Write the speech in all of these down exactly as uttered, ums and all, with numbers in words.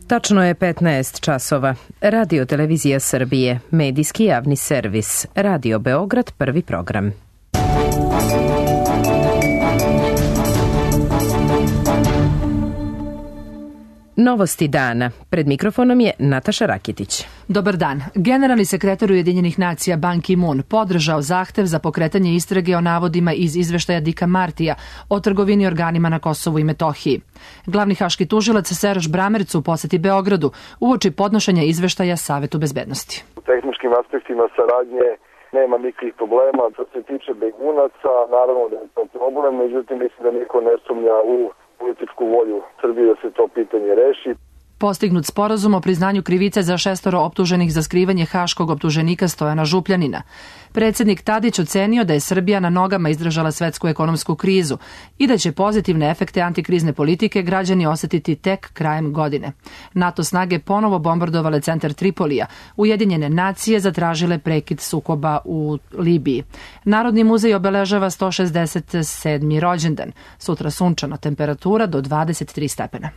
Tačno je petnaest časova. Radio Televizija Srbije, medijski javni servis, Radio Beograd, prvi program. Novosti dana. Pred mikrofonom je Nataša Rakitić. Dobar dan. Generalni sekretar Ujedinjenih nacija Ban Ki-moon podržao zahtev za pokretanje istrage o navodima iz izveštaja Dicka Martija o trgovini organima na Kosovu i Metohiji. Glavni haški tužilac Serge Bramertz u poseti Beogradu uoči podnošenja izveštaja Savetu bezbednosti. U tehničkim aspektima saradnje nema nikakvih problema. Što se tiče begunaca, naravno da je to problem, međutim mislim da niko ne sumnja u političku volju Srbije da se to pitanje reši. Postignut sporazum o priznanju krivice za šestoro optuženih za skrivanje haškog optuženika Stojana Župljanina. Predsjednik Tadić ocenio da je Srbija na nogama izdržala svetsku ekonomsku krizu i da će pozitivne efekte antikrizne politike građani osetiti tek krajem godine. NATO snage ponovo bombardovale centar Tripolija. Ujedinjene nacije zatražile prekid sukoba u Libiji. Narodni muzej obeležava sto šezdeset sedmi rođendan. Sutra sunčana, temperatura do dvadeset tri stepena.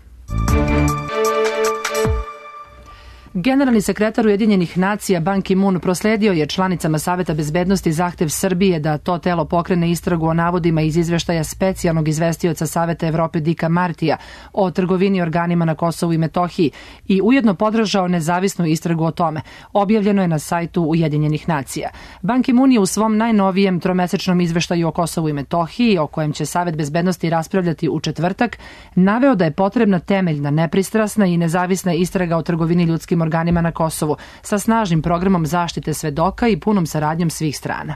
Generalni sekretar Ujedinjenih nacija Ban Ki-moon prosledio je članicama Saveta bezbednosti zahtev Srbije da to telo pokrene istragu o navodima iz izveštaja specijalnog izvestioca Saveta Evrope Dicka Martija o trgovini organima na Kosovu i Metohiji i ujedno podržao nezavisnu istragu o tome. Objavljeno je na sajtu Ujedinjenih nacija. Ban Ki-moon je u svom najnovijem tromesečnom izveštaju o Kosovu i Metohiji, o kojem će Savet bezbednosti raspravljati u četvrtak, naveo da je potrebna temeljna, nepristrasna i nezavisna istraga o trgovini ljudskim organima na Kosovu sa snažnim programom zaštite svedoka i punom saradnjom svih strana.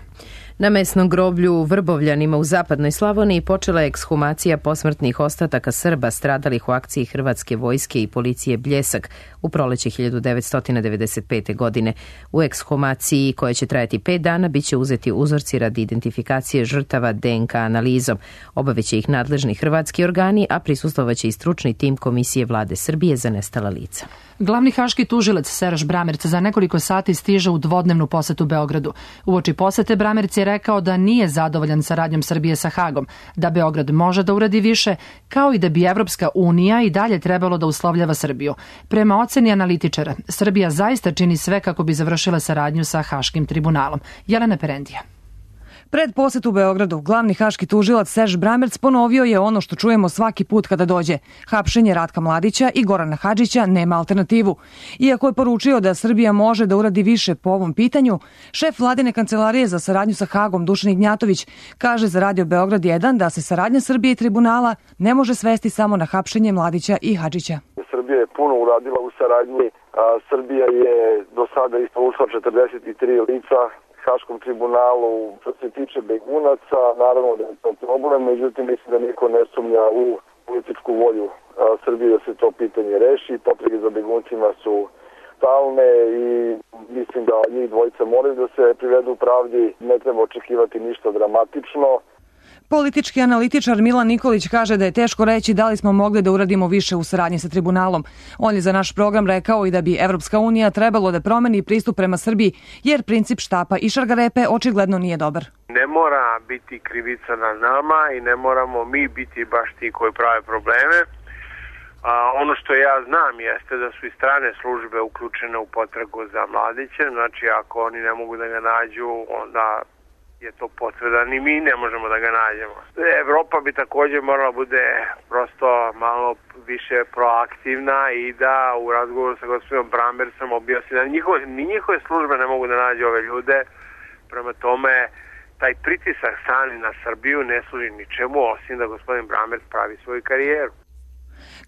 Na mesnom groblju u Vrbovljanima u zapadnoj Slavoniji počela je ekshumacija posmrtnih ostataka Srba stradalih u akciji Hrvatske vojske i policije Bljesak u proleće hiljadu devetsto devedeset pete. godine. U ekshumaciji, koja će trajati pet dana, bit će uzeti uzorci radi identifikacije žrtava D N K analizom. Obaveće ih nadležni hrvatski organi, a prisustvovaće i stručni tim Komisije Vlade Srbije za nestala lica. Glavni haški tužilac Serge Bramertz za nekoliko sati stiže u dvodnevnu posetu Beogradu. Uoči posete Bramertz je rekao da nije zadovoljan saradnjom Srbije sa Hagom, da Beograd može da uradi više, kao i da bi Evropska unija i dalje trebalo da uslovljava Srbiju. Prema oceni analitičara, Srbija zaista čini sve kako bi završila saradnju sa Haškim tribunalom. Jelena Perendija. Pred posetu Beogradu, glavni haški tužilac Serge Bramertz ponovio je ono što čujemo svaki put kada dođe. Hapšenje Ratka Mladića i Gorana Hadžića nema alternativu. Iako je poručio da Srbija može da uradi više po ovom pitanju, šef vladine kancelarije za saradnju sa Hagom Dušan Ignjatović kaže za Radio Beograd jedan da se saradnja Srbije i tribunala ne može svesti samo na hapšenje Mladića i Hadžića. Srbija je puno uradila u saradnji. A Srbija je do sada isporučila četrdeset tri lica Haškom tribunalu. Što se tiče begunaca, naravno da je to problem, međutim mislim da niko ne sumnja u političku volju Srbije da se to pitanje reši. Potrebe za beguncima su stalne i mislim da njih dvojica moraju da se privedu u pravdi. Ne treba očekivati ništa dramatično. Politički analitičar Milan Nikolić kaže da je teško reći da li smo mogli da uradimo više u saradnji sa tribunalom. On je za naš program rekao i da bi Evropska unija trebalo da promeni pristup prema Srbiji, jer princip štapa i šargarepe očigledno nije dobar. Ne mora biti krivica na nama i ne moramo mi biti baš ti koji prave probleme. A, ono što ja znam jeste da su i strane službe uključene u potragu za Mladiće. Znači ako oni ne mogu da ga nađu, onda je to potvrda, ni mi ne možemo da ga nađemo. Evropa bi također morala bude prosto malo više proaktivna i da u razgovoru sa gospodinom Bramertzom objasni da njihove, ni njihove službe ne mogu da nađe ove ljude. Prema tome, taj pritisak strani na Srbiju ne služi ničemu, osim da gospodin Bramertz pravi svoju karijeru.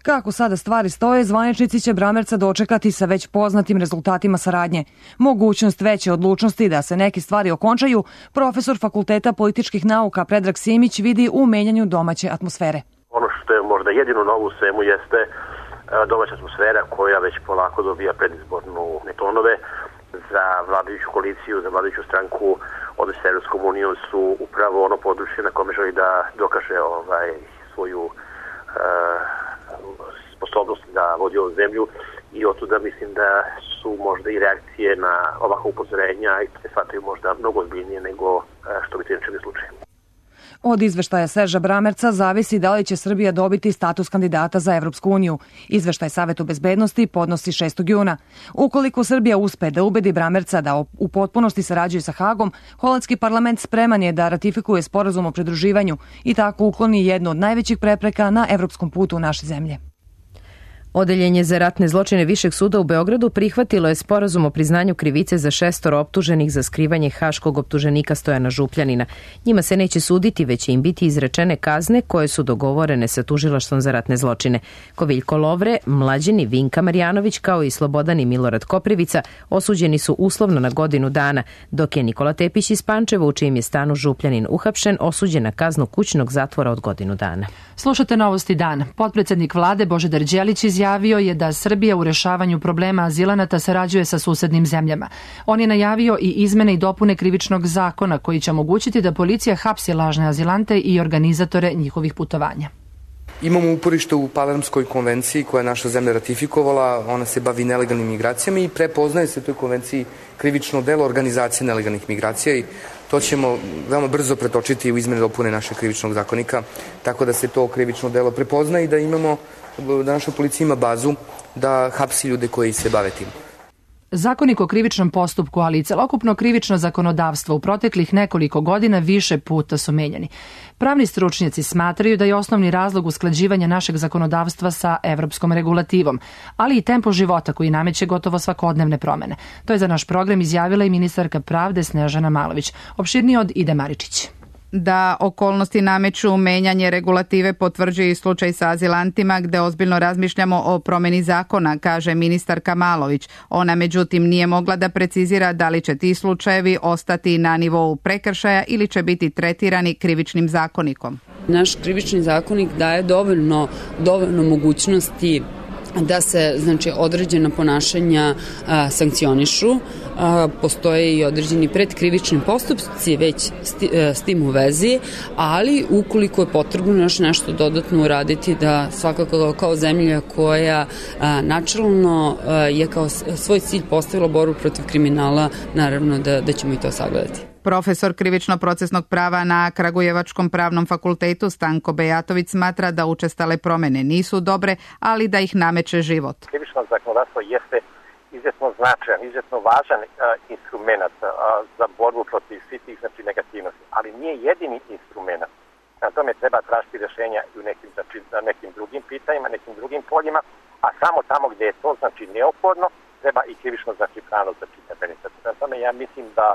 Kako sada stvari stoje, zvaničnici će Bramertza dočekati sa već poznatim rezultatima saradnje. Mogućnost veće odlučnosti da se neke stvari okončaju, profesor Fakulteta političkih nauka Predrag Simić vidi u menjanju domaće atmosfere. Ono što je možda jedino novo u svemu jeste domaća atmosfera koja već polako dobija predizbornu tonove. Za vladajuću koaliciju, za vladajuću stranku, odnosi sa Evropskom unijom su upravo ono područje na kome želi da dokaže ovaj, svoju uh, sposobnost da vodi ovu zemlju i otuda mislim da su možda i reakcije na ovakva upozorenja i se shvataju možda mnogo ozbiljnije nego što bi to inače bio slučaj. Od izveštaja Serža Bramerca zavisi da li će Srbija dobiti status kandidata za Evropsku uniju. Izveštaj Savetu bezbednosti podnosi šestog juna. Ukoliko Srbija uspe da ubedi Bramerca da u potpunosti sarađuje sa Hagom, holandski parlament spreman je da ratifikuje sporazum o pridruživanju i tako ukloni jednu od najvećih prepreka na evropskom putu naše zemlje. Odeljenje za ratne zločine Višeg suda u Beogradu prihvatilo je sporazum o priznanju krivice za šestoro optuženih za skrivanje haškog optuženika Stojana Župljanina. Njima se neće suditi, već će im biti izrečene kazne koje su dogovorene sa tužilaštvom za ratne zločine. Koviljko Lovre, Mlađeni Vinka Marjanović kao i Slobodan i Milorad Koprivica osuđeni su uslovno na godinu dana, dok je Nikola Tepić iz Pančeva, u čijem je stanu Župljanin uhapšen, osuđen na kaznu kućnog zatvora od godinu dana. Slušate Novosti dana. Potpredsednik vlade Božidar Đelić izjavio je da Srbija u rešavanju problema azilanata sarađuje sa susednim zemljama. On je najavio i izmene i dopune krivičnog zakona koji će omogućiti da policija hapsi lažne azilante i organizatore njihovih putovanja. Imamo uporište u Palermskoj konvenciji koja je naša zemlja ratifikovala, ona se bavi nelegalnim migracijama i prepoznaje se u toj konvenciji krivično delo organizacije nelegalnih migracija i to ćemo veoma brzo pretočiti u izmene dopune našeg krivičnog zakonika, tako da se to krivično delo prepozna i da imamo, da naša policija ima bazu da hapsi ljude koji se bave tim. Zakonik o krivičnom postupku, ali i celokupno krivično zakonodavstvo u proteklih nekoliko godina više puta su menjani. Pravni stručnjaci smatraju da je osnovni razlog usklađivanja našeg zakonodavstva sa evropskom regulativom, ali i tempo života koji nameće gotovo svakodnevne promene. To je za naš program izjavila i ministarka pravde Snežana Malović. Opširnije od Ide Maričić. Da okolnosti nameću menjanje regulative potvrđuje i slučaj sa azilantima gde ozbiljno razmišljamo o promeni zakona, kaže ministarka Malović. Ona međutim nije mogla da precizira da li će ti slučajevi ostati na nivou prekršaja ili će biti tretirani krivičnim zakonikom. Naš krivični zakonik daje dovoljno, dovoljno mogućnosti da se znači određena ponašanja a, sankcionišu. A, postoje i određeni predkrivični postupci već sti, a, s tim u vezi, ali ukoliko je potrebno još nešto dodatno uraditi, da svakako kao zemlja koja a, načelno a, je kao svoj cilj postavila borbu protiv kriminala, naravno da, da ćemo i to sagledati. Profesor krivično-procesnog prava na Kragujevačkom pravnom fakultetu Stanko Bejatović smatra da učestale promene nisu dobre, ali da ih nameće život. Krivično zakonodavstvo jeste izuzetno značajan, izuzetno važan uh, instrument uh, za borbu protiv svih tih znači, negativnosti, ali nije jedini instrument. Na tome treba tražiti rješenja i u nekim, znači, nekim drugim pitanjima, nekim drugim poljima, a samo tamo gdje je to znači neophodno, treba i krivično znači, pravno začitati. Na tome ja mislim da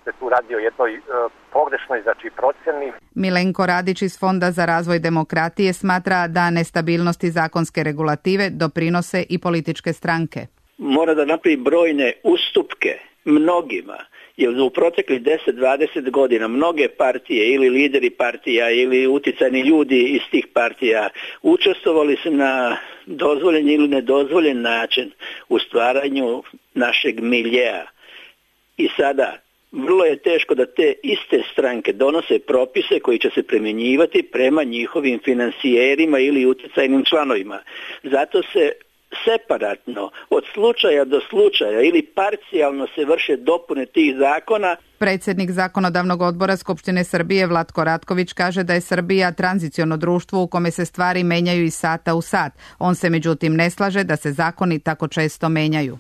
se tu radi o jednoj e, pogrešnoj znači procjeni. Milenko Radić iz Fonda za razvoj demokratije smatra da nestabilnosti zakonske regulative doprinose i političke stranke. Mora da napravi brojne ustupke mnogima, jer u proteklih deset do dvadeset godina mnoge partije ili lideri partija ili uticajni ljudi iz tih partija učestvovali su na dozvoljen ili nedozvoljen način u stvaranju našeg miljeja. I sada vrlo je teško da te iste stranke donose propise koji će se primjenjivati prema njihovim finansijerima ili uticajnim članovima. Zato se separatno od slučaja do slučaja ili parcijalno se vrše dopune tih zakona. Predsjednik Zakonodavnog odbora Skupštine Srbije Vlatko Ratković kaže da je Srbija tranziciono društvo u kome se stvari menjaju iz sata u sat. On se međutim ne slaže da se zakoni tako često menjaju.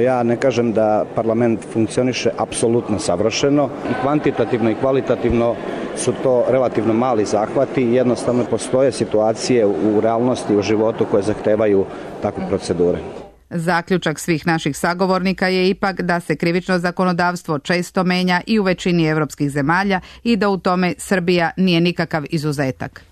Ja ne kažem da parlament funkcioniše apsolutno savršeno. I kvantitativno i kvalitativno su to relativno mali zahvati. Jednostavno postoje situacije u realnosti, u životu koje zahtevaju takve procedure. Zaključak svih naših sagovornika je ipak da se krivično zakonodavstvo često menja i u većini evropskih zemalja i da u tome Srbija nije nikakav izuzetak.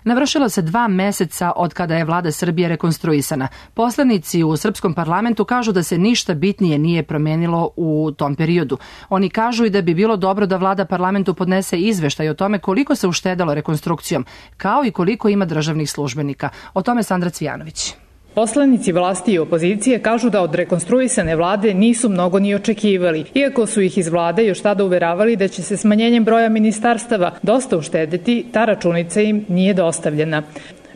Navršilo se dva meseca od kada je vlada Srbije rekonstruisana. Poslanici u srpskom parlamentu kažu da se ništa bitnije nije promenilo u tom periodu. Oni kažu i da bi bilo dobro da vlada parlamentu podnese izveštaj o tome koliko se uštedalo rekonstrukcijom, kao i koliko ima državnih službenika. O tome Sandra Cvijanović. Poslanici vlasti i opozicije kažu da od rekonstruisane vlade nisu mnogo ni očekivali, iako su ih iz vlade još tada uveravali da će se smanjenjem broja ministarstava dosta uštedeti, ta računica im nije dostavljena.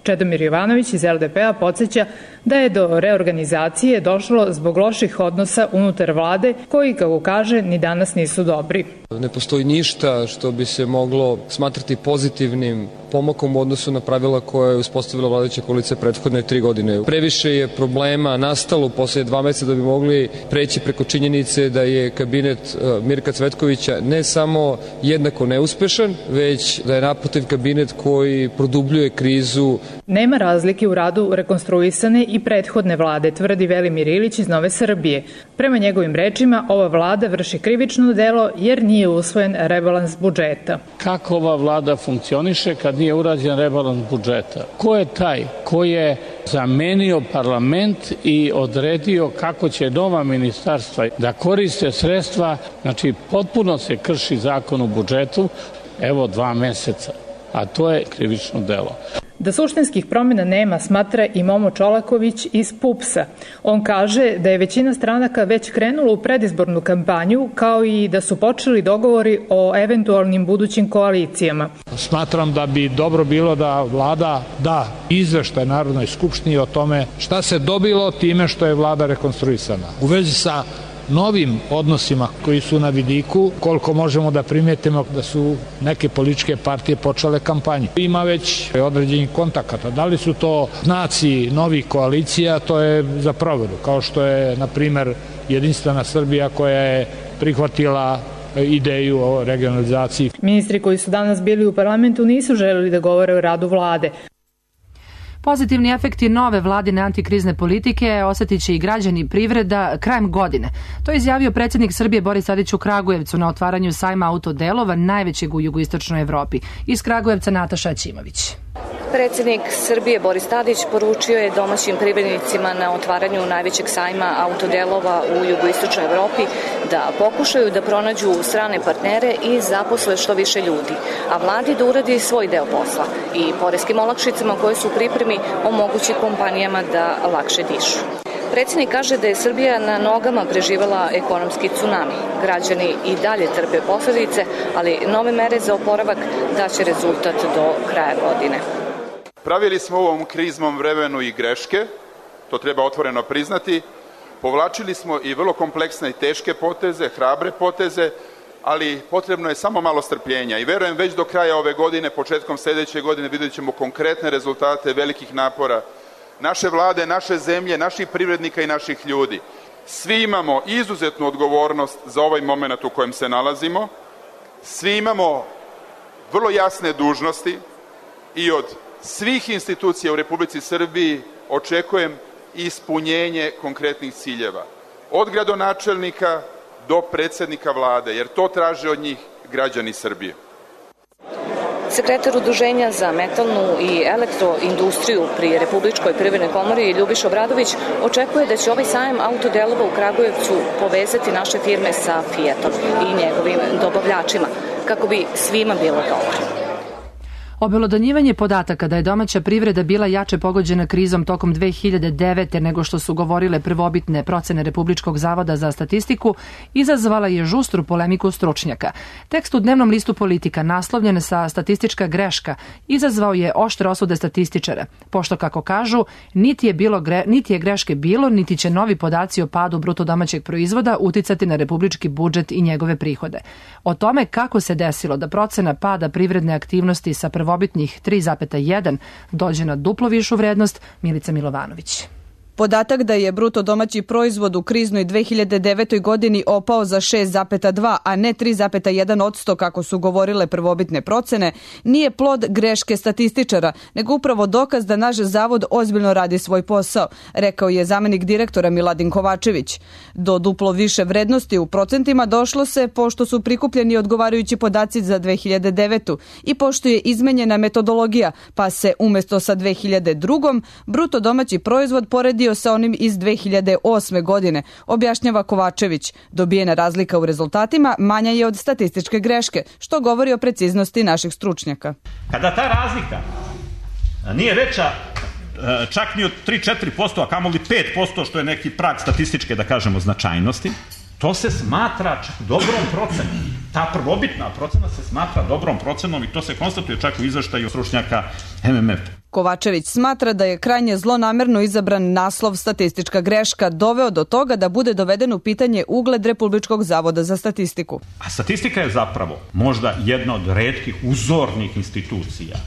Čedomir Jovanović iz L D P-a podsjeća da je do reorganizacije došlo zbog loših odnosa unutar vlade, koji, kako kaže, ni danas nisu dobri. Ne postoji ništa što bi se moglo smatrati pozitivnim pomakom u odnosu na pravila koje je uspostavila vladajuća koalicija prethodne tri godine. Previše je problema nastalo posle dva meseca da bi mogli preći preko činjenice da je kabinet Mirka Cvetkovića ne samo jednako neuspešan, već da je naprotiv kabinet koji produbljuje krizu. Nema razlike u radu rekonstruisane i prethodne vlade, tvrdi Velimir Ilić iz Nove Srbije. Prema njegovim rečima, ova vlada vrši krivično delo jer nije usvojen rebalans budžeta. Kako ova vlada funkcioniše kad nije urađen rebalans budžeta? Ko je taj ko je zamenio parlament i odredio kako će nova ministarstva da koriste sredstva? Znači, potpuno se krši zakon o budžetu, evo dva meseca, a to je krivično delo. Da suštinskih promjena nema, smatra i Momo Čolaković iz PUPS-a. On kaže da je većina stranaka već krenula u predizbornu kampanju, kao i da su počeli dogovori o eventualnim budućim koalicijama. Smatram da bi dobro bilo da vlada da izveštaj Narodnoj skupštini o tome šta se dobilo time što je vlada rekonstruisana. U vezi sa novim odnosima koji su na vidiku, koliko možemo da primetimo da su neke političke partije počele kampanju. Ima već određenih kontakata. Da li su to znaci novih koalicija, to je za proveru, kao što je, na primer, Jedinstvena Srbija koja je prihvatila ideju o regionalizaciji. Ministri koji su danas bili u parlamentu nisu želeli da govore o radu vlade. Pozitivni efekti nove vladine antikrizne politike osjetit će i građani i privreda krajem godine. To je izjavio predsjednik Srbije Boris Tadić u Kragujevcu na otvaranju sajma autodelova, najvećeg u jugoistočnoj Evropi. Iz Kragujevca Nataša Aćimović. Predsjednik Srbije Boris Tadić poručio je domaćim privrednicima na otvaranju najvećeg sajma autodelova u jugoistočnoj Evropi da pokušaju da pronađu strane partnere i zaposle što više ljudi, a vladi da uradi svoj deo posla i poreskim olakšicama koje su u pripremi omogući kompanijama da lakše dišu. Predsjednik kaže da je Srbija na nogama preživela ekonomski tsunami. Građani i dalje trpe posljedice, ali nove mere za oporavak daće rezultat do kraja godine. Pravili smo u ovom kriznom vremenu i greške, to treba otvoreno priznati. Povlačili smo i vrlo kompleksne i teške poteze, hrabre poteze, ali potrebno je samo malo strpljenja i verujem već do kraja ove godine, početkom sljedeće godine vidjet ćemo konkretne rezultate velikih napora naše vlade, naše zemlje, naših privrednika i naših ljudi. Svi imamo izuzetnu odgovornost za ovaj moment u kojem se nalazimo, svi imamo vrlo jasne dužnosti i od svih institucija u Republici Srbiji očekujem ispunjenje konkretnih ciljeva. Od gradonačelnika do predsjednika vlade, jer to traže od njih građani Srbije. Sekretar Udruženja za metalnu i elektroindustriju pri Republičkoj privrednoj komori Ljubiša Obradović očekuje da će ovaj sajam autodelova u Kragujevcu povezati naše firme sa Fiatom i njegovim dobavljačima, kako bi svima bilo dobro. Obelodanjivanje podataka da je domaća privreda bila jače pogođena krizom tokom dve hiljade devete. nego što su govorile prvobitne procene Republičkog zavoda za statistiku izazvala je žustru polemiku stručnjaka. Tekst u dnevnom listu Politika naslovljen sa statistička greška izazvao je oštre osude statističara, pošto kako kažu niti je, bilo gre, niti je greške bilo, niti će novi podaci o padu bruto domaćeg proizvoda uticati na republički budžet i njegove prihode. O tome kako se desilo da procena pada privredne aktivnosti sa prvobitnih tri zarez jedan dođe na duplo višu vrednost, Milica Milovanović. Podatak da je bruto domaći proizvod u kriznoj dve hiljade devetoj. godini opao za šest zarez dva, a ne tri zarez jedan posto kako su govorile prvobitne procene, nije plod greške statističara, nego upravo dokaz da naš zavod ozbiljno radi svoj posao, rekao je zamenik direktora Miladin Kovačević. Do duplo više vrednosti u procentima došlo se pošto su prikupljeni odgovarajući podaci za dve hiljade devetu. i pošto je izmenjena metodologija, pa se umjesto sa dve hiljade druge. bruto domaći proizvod poredi sa onim iz dve hiljade osme. godine, objašnjava Kovačević. Dobijena razlika u rezultatima manja je od statističke greške, što govori o preciznosti naših stručnjaka. Kada ta razlika nije veća čak ni od tri do četiri posto, a kamoli pet posto, što je neki prag statističke, da kažemo, značajnosti, to se smatra čak dobrom procenom. Ta prvobitna procena se smatra dobrom procenom i to se konstatuje čak u izveštaju stručnjaka M M F. Kovačević smatra da je krajnje zlonamerno izabran naslov statistička greška doveo do toga da bude doveden u pitanje ugled Republičkog zavoda za statistiku. A statistika je zapravo možda jedna od retkih uzornih institucija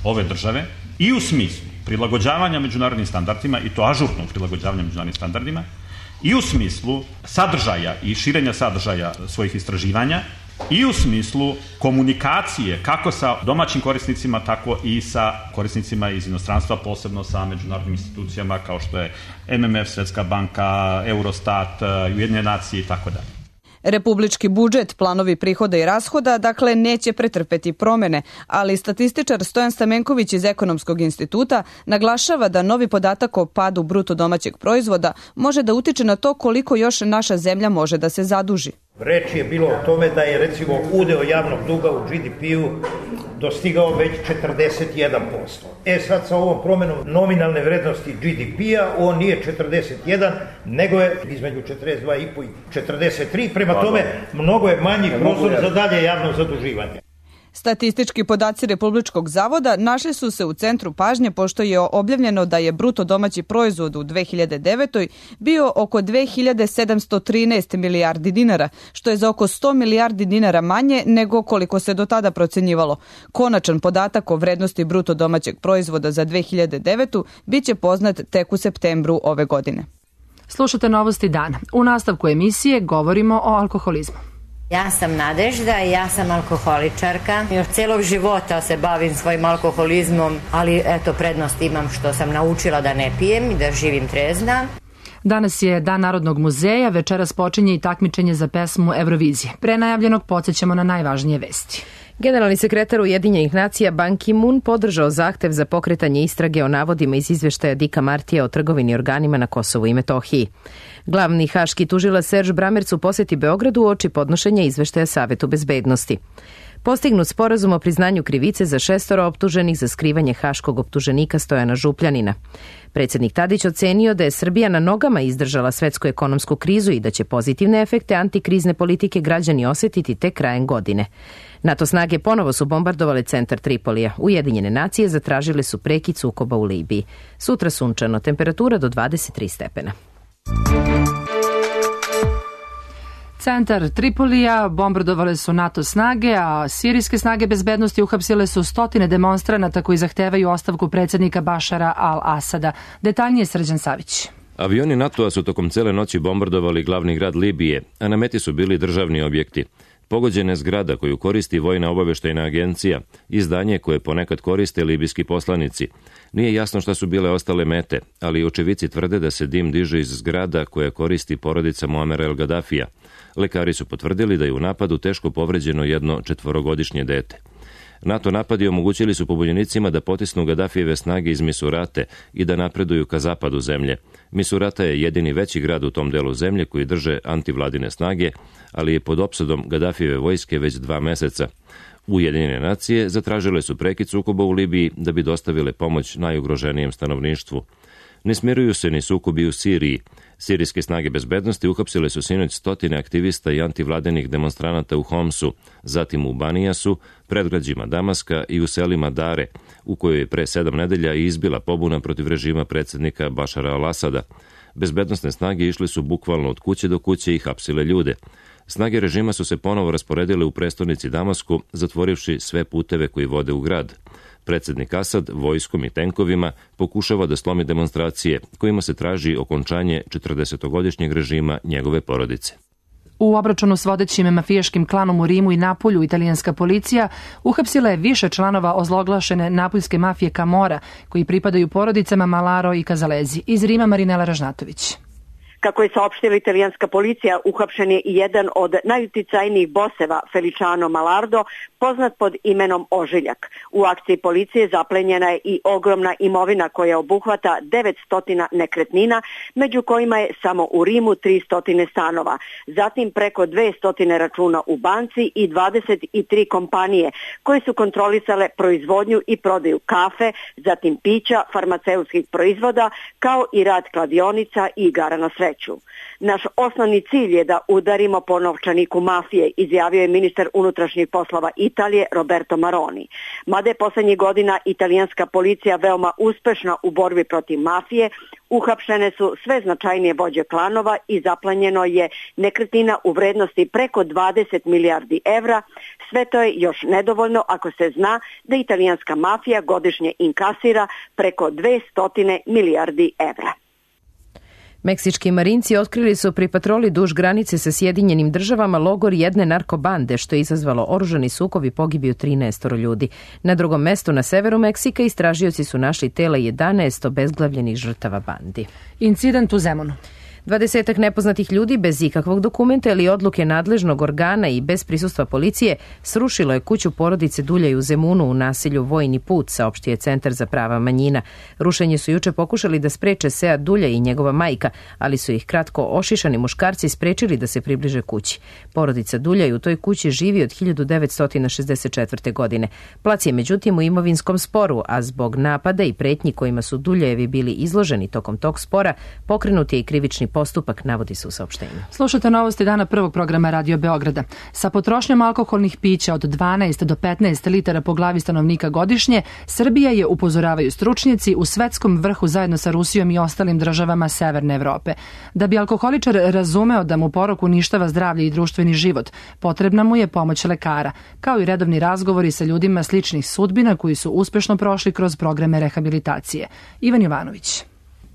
ove države i u smislu prilagođavanja međunarodnim standardima, i to ažurnog prilagođavanja međunarodnim standardima, i u smislu sadržaja i širenja sadržaja svojih istraživanja, i u smislu komunikacije kako sa domaćim korisnicima, tako i sa korisnicima iz inostranstva, posebno sa međunarodnim institucijama kao što je M M F, Svetska banka, Eurostat, Ujedinjene nacije i tako dalje. Republički budžet, planovi prihoda i rashoda, dakle, neće pretrpeti promene, ali statističar Stojan Stamenković iz Ekonomskog instituta naglašava da novi podatak o padu bruto domaćeg proizvoda može da utiče na to koliko još naša zemlja može da se zaduži. Reč je bilo o tome da je recimo udeo javnog duga u G D P-u dostigao već četrdeset jedan posto. E sad sa ovom promenom nominalne vrednosti G D P-a on nije četrdeset jedan, nego je između četrdeset dva i po i četrdeset tri, prema tome mnogo je manji prostor za dalje javno zaduživanje. Statistički podaci Republičkog zavoda našli su se u centru pažnje pošto je objavljeno da je bruto domaći proizvod u dve hiljade devetoj bio oko dve hiljade sedamsto trinaest milijardi dinara, što je za oko sto milijardi dinara manje nego koliko se do tada procenjivalo. Konačan podatak o vrednosti bruto domaćeg proizvoda za dve hiljade devetu biće poznat tek u septembru ove godine. Slušate Novosti dana. U nastavku emisije govorimo o alkoholizmu. Ja sam Nadežda i ja sam alkoholičarka. Još celog života se bavim svojim alkoholizmom, ali eto, prednost imam što sam naučila da ne pijem i da živim trezna. Danas je Dan Narodnog muzeja, večeras počinje i takmičenje za pesmu Eurovizije. Pre najavljenog podsjećamo na najvažnije vesti. Generalni sekretar Ujedinjenih nacija Ban Ki-moon podržao zahtev za pokretanje istrage o navodima iz izveštaja Dicka Martija o trgovini organima na Kosovu i Metohiji. Glavni haški tužilac Serge Bramerc u poseti Beogradu uoči podnošenja izveštaja Savetu bezbednosti. Postignut sporazum o priznanju krivice za šestoro optuženih za skrivanje haškog optuženika Stojana Župljanina. Predsjednik Tadić ocenio da je Srbija na nogama izdržala svetsku ekonomsku krizu i da će pozitivne efekte antikrizne politike građani osjetiti tek krajem godine. NATO snage ponovo su bombardovale centar Tripolija. Ujedinjene nacije zatražile su prekid sukoba u Libiji. Sutra sunčano, temperatura do dvadeset tri stepena. Centar Tripolija bombardovale su NATO snage, a sirijske snage bezbednosti uhapsile su stotine demonstranata koji zahtevaju ostavku predsjednika Bašara al-Asada. Detaljnije Srđan Savić. Avioni NATO-a su tokom cele noći bombardovali glavni grad Libije, a na meti su bili državni objekti. Pogođena je zgrada koju koristi Vojna obaveštajna agencija, izdanje koje ponekad koriste libijski poslanici. Nije jasno šta su bile ostale mete, ali očevici tvrde da se dim diže iz zgrada koje koristi porodica Muamera el Gadafija. Lekari su potvrdili da je u napadu teško povređeno jedno četvorogodišnje dete. NATO napadi omogućili su pobunjenicima da potisnu Gadafijeve snage iz Misurate i da napreduju ka zapadu zemlje. Misurata je jedini veći grad u tom delu zemlje koji drže antivladine snage, ali je pod opsadom Gadafijeve vojske već dva meseca. Ujedinjene nacije zatražile su prekid sukoba u Libiji da bi dostavile pomoć najugroženijem stanovništvu. Ne smiruju se ni sukobi u Siriji. Sirijske snage bezbednosti uhapsile su sinoć stotine aktivista i antivladenih demonstranata u Homsu, zatim u Banijasu, predgrađima Damaska i u selima Dare, u kojoj je pre sedam nedelja izbila pobuna protiv režima predsjednika Bašara al-Asada. Bezbednosne snage išli su bukvalno od kuće do kuće i hapsile ljude. Snage režima su se ponovo rasporedile u prestonici Damasku, zatvorivši sve puteve koji vode u grad. Predsjednik Asad vojskom i tenkovima pokušava da slomi demonstracije kojima se traži okončanje četrdesetogodišnjeg režima njegove porodice. U obračunu s vodećim mafijaškim klanom u Rimu i Napulju italijanska policija uhapsila je više članova ozloglašene napuljske mafije Camorra koji pripadaju porodicama Malaro i Kazalezi. Iz Rima Marinela Ražnatović. Kako je saopštila italijanska policija, uhapšen je i jedan od najuticajnijih boseva, Feliciano Malardo, poznat pod imenom Ožiljak. U akciji policije zaplenjena je i ogromna imovina koja obuhvata devetsto nekretnina, među kojima je samo u Rimu tristo stanova. Zatim preko dvesta računa u banci i dvadeset tri kompanije koje su kontrolisale proizvodnju i prodaju kafe, zatim pića, farmaceutskih proizvoda, kao i rad kladionica i igara na sreću. sreću. Naš osnovni cilj je da udarimo po novčaniku mafije, izjavio je ministar unutrašnjih poslova Italije Roberto Maroni. Mada je poslednjih godina italijanska policija veoma uspešna u borbi protiv mafije, uhapšene su sve značajnije vođe klanova i zaplanjeno je nekretnina u vrednosti preko dvadeset milijardi evra. Sve to je još nedovoljno ako se zna da italijanska mafija godišnje inkasira preko dvesta milijardi evra. Meksički marinci otkrili su pri patroli duž granice sa Sjedinjenim državama logor jedne narkobande, što je izazvalo oružani sukob i pogibio trinaest ljudi. Na drugom mestu na severu Meksika istražioci su našli tela jedanaest obezglavljenih žrtava bandi. Incident u Zemunu. Dvadesetak nepoznatih ljudi bez ikakvog dokumenta ili odluke nadležnog organa i bez prisustva policije srušilo je kuću porodice Duljaj u Zemunu u naselju Vojni put, saopštio je Centar za prava manjina. Rušenje su juče pokušali da spreče Sead Duljaj i njegova majka, ali su ih kratko ošišani muškarci sprečili da se približe kući. Porodica Duljaj u toj kući živi od hiljadu devetsto šezdeset četvrte. godine. Plac je međutim u imovinskom sporu, a zbog napada i pretnji kojima su Duljajevi bili izloženi tokom tog spora, pokrenut je i krivični postupak, navodi se u saopštenju. Slušate novosti dana prvog programa Radio Beograda. Sa potrošnjom alkoholnih pića od dvanaest do petnaest litara po glavi stanovnika godišnje, Srbija je, upozoravaju stručnjaci, u svetskom vrhu zajedno sa Rusijom i ostalim državama Severne Evrope. Da bi alkoholičar razumeo da mu porok uništava zdravlje i društveni život, potrebna mu je pomoć lekara, kao i redovni razgovori sa ljudima sličnih sudbina koji su uspešno prošli kroz programe rehabilitacije. Ivan Jovanović.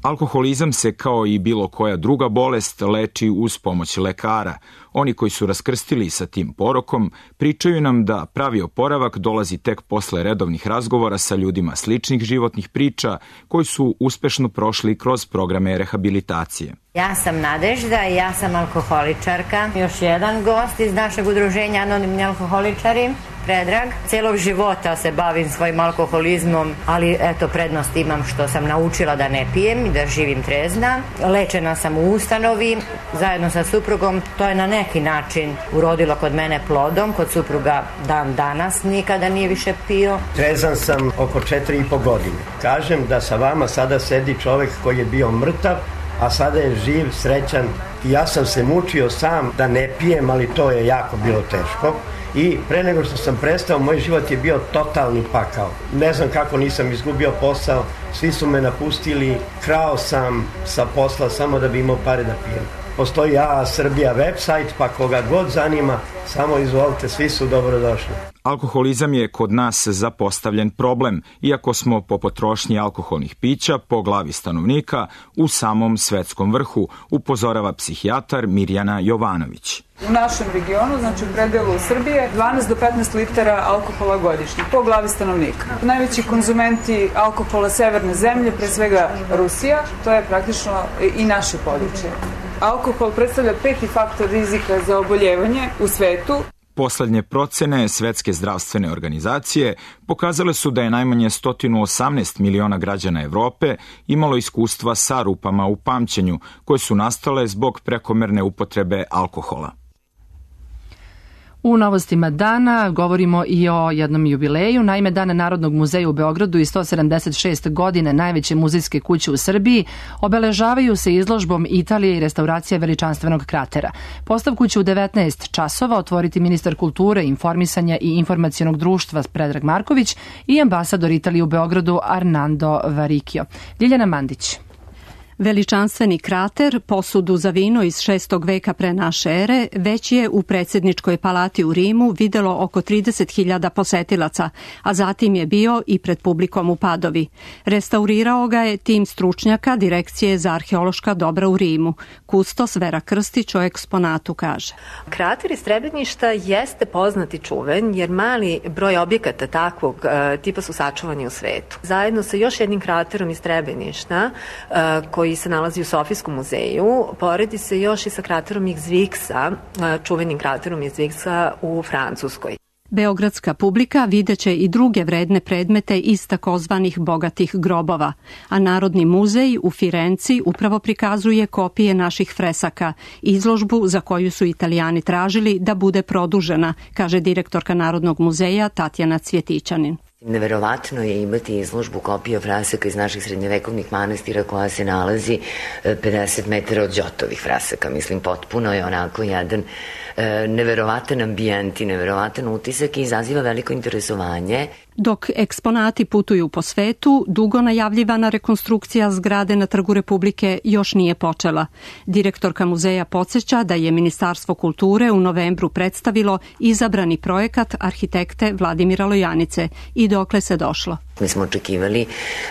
Alkoholizam se, kao i bilo koja druga bolest, leči uz pomoć lekara. Oni koji su raskrstili sa tim porokom pričaju nam da pravi oporavak dolazi tek posle redovnih razgovora sa ljudima sličnih životnih priča koji su uspešno prošli kroz programe rehabilitacije. Ja sam Nadežda i ja sam alkoholičarka. Još jedan gost iz našeg udruženja Anonimni alkoholičari, Predrag. Celog života se bavim svojim alkoholizmom, ali eto, prednost imam što sam naučila da ne pijem i da živim trezna. Lečena sam u ustanovi zajedno sa suprugom. To je na neki način urodilo kod mene plodom. Kod supruga dan danas nikada nije više pio. Trezan sam oko četiri i po godine. Kažem da sa vama sada sedi čovek koji je bio mrtav, a sada je živ, srećan. I ja sam se mučio sam da ne pijem, ali to je jako bilo teško. I pre nego što sam prestao, moj život je bio totalni pakao. Ne znam kako nisam izgubio posao, svi su me napustili, krao sam sa posla samo da bi imao pare da pijem. Postoji A A Srbija website, pa koga god zanima, samo izvolite, svi su dobrodošli. Alkoholizam je kod nas zapostavljen problem, iako smo po potrošnji alkoholnih pića po glavi stanovnika u samom svetskom vrhu, upozorava psihijatar Mirjana Jovanović. U našem regionu, znači u predelu Srbije, dvanaest do petnaest litara alkohola godišnje po glavi stanovnika. Najveći konzumenti alkohola severne zemlje, pre svega Rusija, to je praktično i naše područje. Alkohol predstavlja peti faktor rizika za oboljevanje u svetu. Poslednje procene Svetske zdravstvene organizacije pokazale su da je najmanje sto osamnaest miliona građana Evrope imalo iskustva sa rupama u pamćenju, koje su nastale zbog prekomerne upotrebe alkohola. U novostima dana govorimo i o jednom jubileju. Naime, Dan Narodnog muzeja u Beogradu i sto sedamdeset šest godine najveće muzejske kuće u Srbiji obeležavaju se izložbom Italije i restauracija veličanstvenog kratera. Postavku će u devetnaest časova otvoriti ministar kulture, informisanja i informacionog društva Predrag Marković i ambasador Italije u Beogradu Arnando Varikio. Ljiljana Mandić. Veličanstveni krater, posudu za vino iz šestog veka pre naše ere, već je u predsjedničkoj palati u Rimu videlo oko trideset hiljada posetilaca, a zatim je bio i pred publikom u Padovi. Restaurirao ga je tim stručnjaka Direkcije za arheološka dobra u Rimu. Kustos Vera Krstić o eksponatu kaže. Krater iz Srebreništa jeste poznat i čuven, jer mali broj objekata takvog uh, tipa su sačuvani u svetu. Zajedno sa još jednim kraterom iz Srebreništa, uh, koji koji se nalazi u Sofijskom muzeju, poredi se još i sa kraterom Ixvixa, čuvenim kraterom Ixvixa u Francuskoj. Beogradska publika videće i druge vredne predmete iz takozvanih bogatih grobova, a Narodni muzej u Firenci upravo prikazuje kopije naših fresaka, izložbu za koju su Italijani tražili da bude produžena, kaže direktorka Narodnog muzeja Tatjana Cvjetićanin. Neverovatno je imati izložbu kopija frasaka iz naših srednjevekovnih manastira koja se nalazi pedeset metara od Đotovih frasaka. Mislim, potpuno je onako jedan e, neverovatan ambijent i neverovatan utisak i izaziva veliko interesovanje. Dok eksponati putuju po svetu, dugo najavljivana rekonstrukcija zgrade na Trgu Republike još nije počela. Direktorka muzeja podsjeća da je Ministarstvo kulture u novembru predstavilo izabrani projekat arhitekte Vladimira Lojanice i dokle se došlo. Mi smo očekivali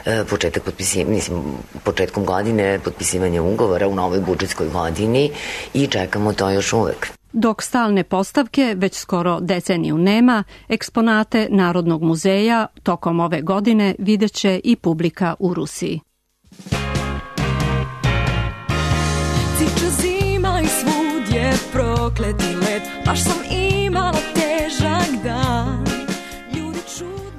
e, početak potpisi, mislim, početkom godine potpisivanje ugovora u novoj budžetskoj godini i čekamo to još uvek. Dok stalne postavke već skoro deceniju nema, eksponate Narodnog muzeja tokom ove godine videće i publika u Rusiji. Ciča zima i svud je prokleti led, baš sam imala težak dan.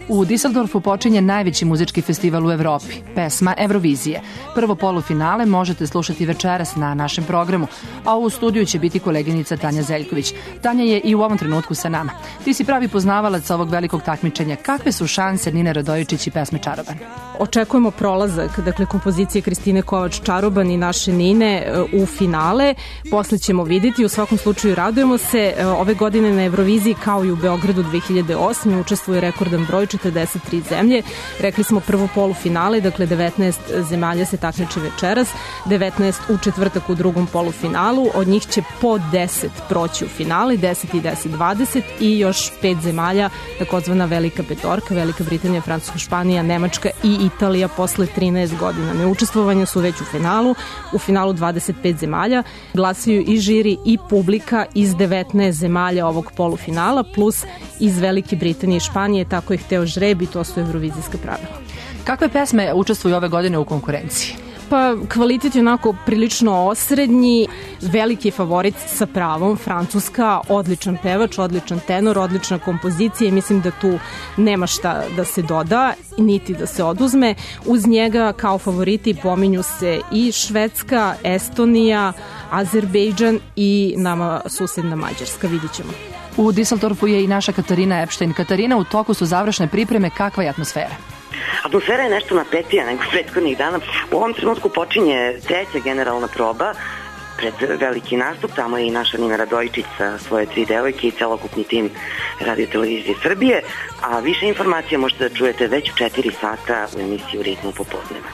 U Düsseldorfu počinje najveći muzički festival u Evropi, pesma Eurovizije. Prvo polufinale možete slušati večeras na našem programu, a u studiju će biti koleginica Tanja Zeljković. Tanja je i u ovom trenutku sa nama. Ti si pravi poznavalac ovog velikog takmičenja. Kakve su šanse Nine Radojičić i pesme Čaroban? Očekujemo prolazak, dakle, kompozicije Kristine Kovač Čaroban i naše Nine u finale. Posle ćemo vidjeti, u svakom slučaju radujemo se. Ove godine na Euroviziji, kao i u Beogradu dve hiljade osme. učestvuje rekordan broj, četrdeset tri zemlje. Rekli smo prvo polufinale, dakle devetnaest zemalja se takmiči večeras, devetnaest u četvrtak u drugom polufinalu, od njih će po deset proći u finale, deset i deset, dvadeset i još pet zemalja, takozvana Velika petorka, Velika Britanija, Francuska, Španija, Nemačka i Italija posle trinaest godina neučestvovanja su već u finalu. U finalu dvadeset pet zemalja, glasaju i žiri i publika iz devetnaest zemalja ovog polufinala, plus iz Velike Britanije i Španije, tako je hteo žreb i to su eurovizijska pravila. Kakve pesme učestvuju ove godine u konkurenciji? Pa kvalitet je onako prilično osrednji, veliki favorit sa pravom, Francuska, odličan pevač, odličan tenor, odlična kompozicija i mislim da tu nema šta da se doda, niti da se oduzme. Uz njega kao favoriti pominju se i Švedska, Estonija, Azerbejdžan i nama susedna Mađarska, vidit ćemo. U Düsseldorfu je i naša Katarina Epštajn. Katarina, u toku su završne pripreme, kakva je atmosfera? Atmosfera je nešto napetija nego prethodnih dana. U ovom trenutku počinje treća generalna proba pred veliki nastup. Tamo je i naša Nina Radojičić sa svoje tri devojke i celokupni tim Radio Televizije Srbije. A više informacija možete da čujete već u četiri sata u emisiji U ritmu popodneva.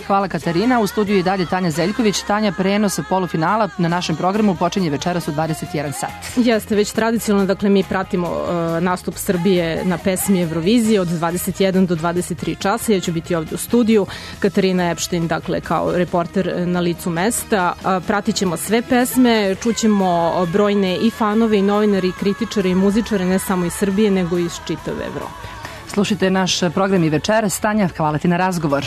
Hvala Katarina. U studiju i dalje Tanja Zeljković. Tanja, prenos polufinala na našem programu počinje večeras u dvadeset jedan sat. Jeste, već tradicionalno, dakle mi pratimo uh, nastup Srbije na pesmi Eurovizije od dvadeset jedan do dvadeset tri časa. Ja ću biti ovdje u studiju. Katarina Epštajn, dakle, kao reporter na licu mesta. Uh, pratit ćemo sve pesme, čućemo brojne i fanove i novinari, i kritičare i muzičare, ne samo iz Srbije, nego i iz čitave Evrope. Slušajte naš program i večeras. Tanja, hvala ti na razgovor.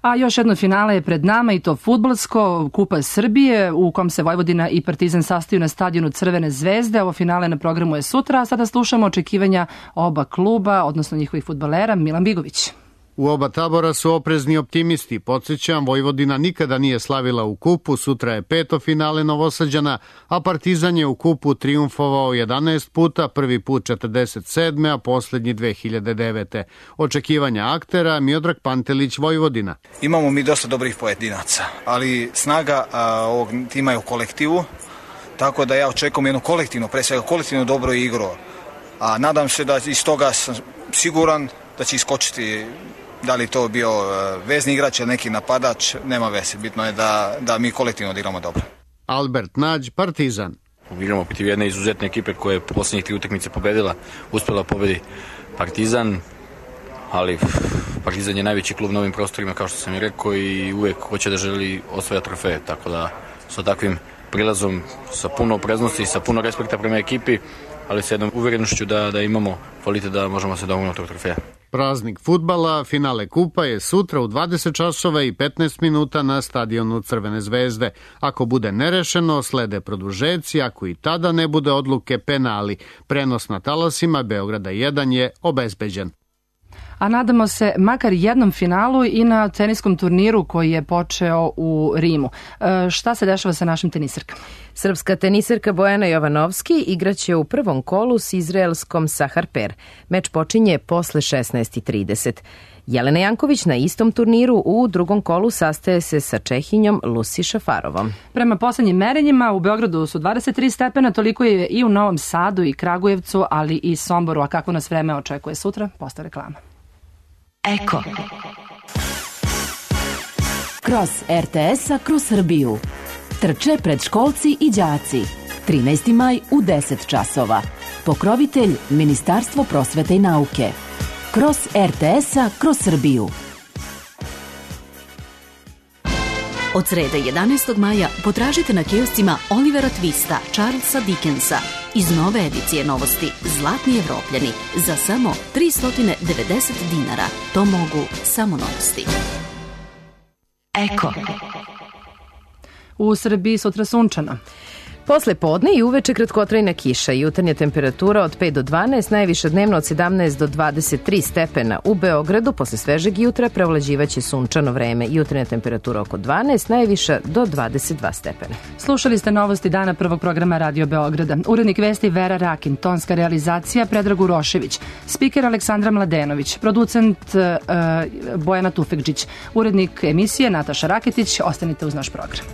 A još jedno finale je pred nama i to fudbalsko, Kupa Srbije, u kom se Vojvodina i Partizan sastaju na stadionu Crvene zvezde. Ovo finale na programu je sutra, a sada slušamo očekivanja oba kluba, odnosno njihovih fudbalera. Milan Bigović. U oba tabora su oprezni optimisti. Podsjećam, Vojvodina nikada nije slavila u kupu, sutra je peto finale Novosađana, a Partizan je u kupu triumfovao jedanaest puta, prvi put četrdeset sedme, a poslednji dve hiljade devete. Očekivanja aktera, Miodrag Pantelić, Vojvodina. Imamo mi dosta dobrih pojedinaca, ali snaga a, ovog tima je u kolektivu, tako da ja očekujem jednu kolektivnu, pre svega kolektivnu dobro igru. A nadam se da iz toga sam siguran da će iskočiti. Da li to bio vezni igrač ili neki napadač, nema veze. Bitno je da, da mi kolektivno odigramo dobro. Albert Nađ, Partizan. Igramo protiv jedne izuzetne ekipe koja je posljednjih tri utakmice pobedila, uspjela pobedi Partizan, ali Partizan je najveći klub na ovim prostorima, kao što sam i rekao, i uvek hoće da želi osvaja trofeje, tako da sa takvim prilazom, sa puno opreznosti, sa puno respekta prema ekipi, ali sa jednom uverenošću da, da imamo kvalitet da možemo se domoći tog trofeja. Praznik fudbala, finale kupa je sutra u dvadeset časova i petnaest minuta na stadionu Crvene zvezde. Ako bude nerešeno, slede produžeci, ako i tada ne bude odluke, penali. Prenos na talasima Beograda jedan je obezbeđen. A nadamo se makar jednom finalu i na teniskom turniru koji je počeo u Rimu. E, šta se dešava sa našim tenisarkama? Srpska tenisarka Bojana Jovanovski igraće u prvom kolu s izraelskom Saharper. Meč počinje posle šesnaest i trideset. Jelena Janković na istom turniru u drugom kolu sastaje se sa Čehinjom Lucy Šafarovom. Prema poslednjim merenjima u Beogradu su dvadeset tri stepena, toliko je i u Novom Sadu i Kragujevcu, ali i Somboru. A kako nas vreme očekuje sutra? Postav reklama. Eko. Kroz er te es-a kroz Srbiju. Trče predškolci i đaci. trinaesti maj u deset časova. Pokrovitelj Ministarstvo prosvete i nauke. Kroz er te es-a kroz Srbiju. Od srede jedanaestog maja potražite na kioscima Olivera Twista, Charlesa Dickensa iz nove edicije novosti Zlatni Evropljani za samo tristo devedeset dinara. To mogu samo novosti. Eko. U Srbiji sutra sunčano. Posle podne i uveče kratkotrajna kiša, jutarnja temperatura od pet do dvanaest, najviša dnevno od sedamnaest do dvadeset tri stepena. U Beogradu posle svežeg jutra prevlađivaće sunčano vreme, jutarnja temperatura oko dvanaest, najviša do dvadeset dva stepena. Slušali ste novosti dana prvog programa Radio Beograda. Urednik vesti Vera Rakin, tonska realizacija Predrag Urošević, spiker Aleksandra Mladenović, producent uh, Bojana Tufekđić, urednik emisije Nataša Raketić. Ostanite uz naš program.